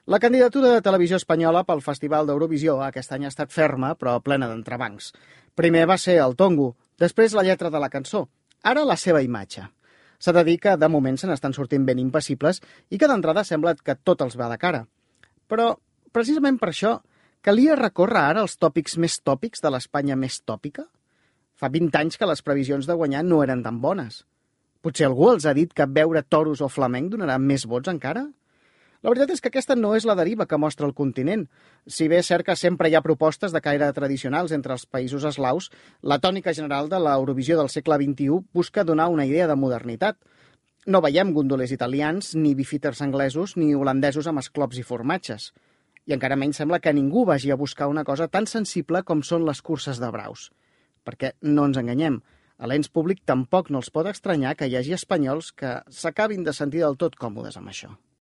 La candidatura de Televisió Espanyola pel Festival d'Eurovisió aquest any ha estat ferma, però plena d'entrebancs. Primer va ser el tongo, després la lletra de la cançó, ara la seva imatge. S'ha de dir que de moment se n'estan sortint ben impassibles i que d'entrada sembla que tot els va de cara. Però, precisament per això, calia recórrer ara als tòpics més tòpics de l'Espanya més tòpica? Fa 20 anys que les previsions de guanyar no eren tan bones. Potser algú els ha dit que veure toros o flamenc donarà més vots encara? La veritat és que aquesta no és la deriva que mostra el continent. Si bé és cert que sempre hi ha propostes de caire tradicionals entre els països eslaus, la tònica general de l'Eurovisió del segle XXI busca donar una idea de modernitat. No veiem gondolers italians, ni bifíters anglesos, ni holandesos amb esclops i formatges. I encara menys sembla que ningú vagi a buscar una cosa tan sensible com són les curses de braus. Perquè, no ens enganyem, a l'ens públic tampoc no els pot estranyar que hi hagi espanyols que s'acabin de sentir del tot còmodes amb això.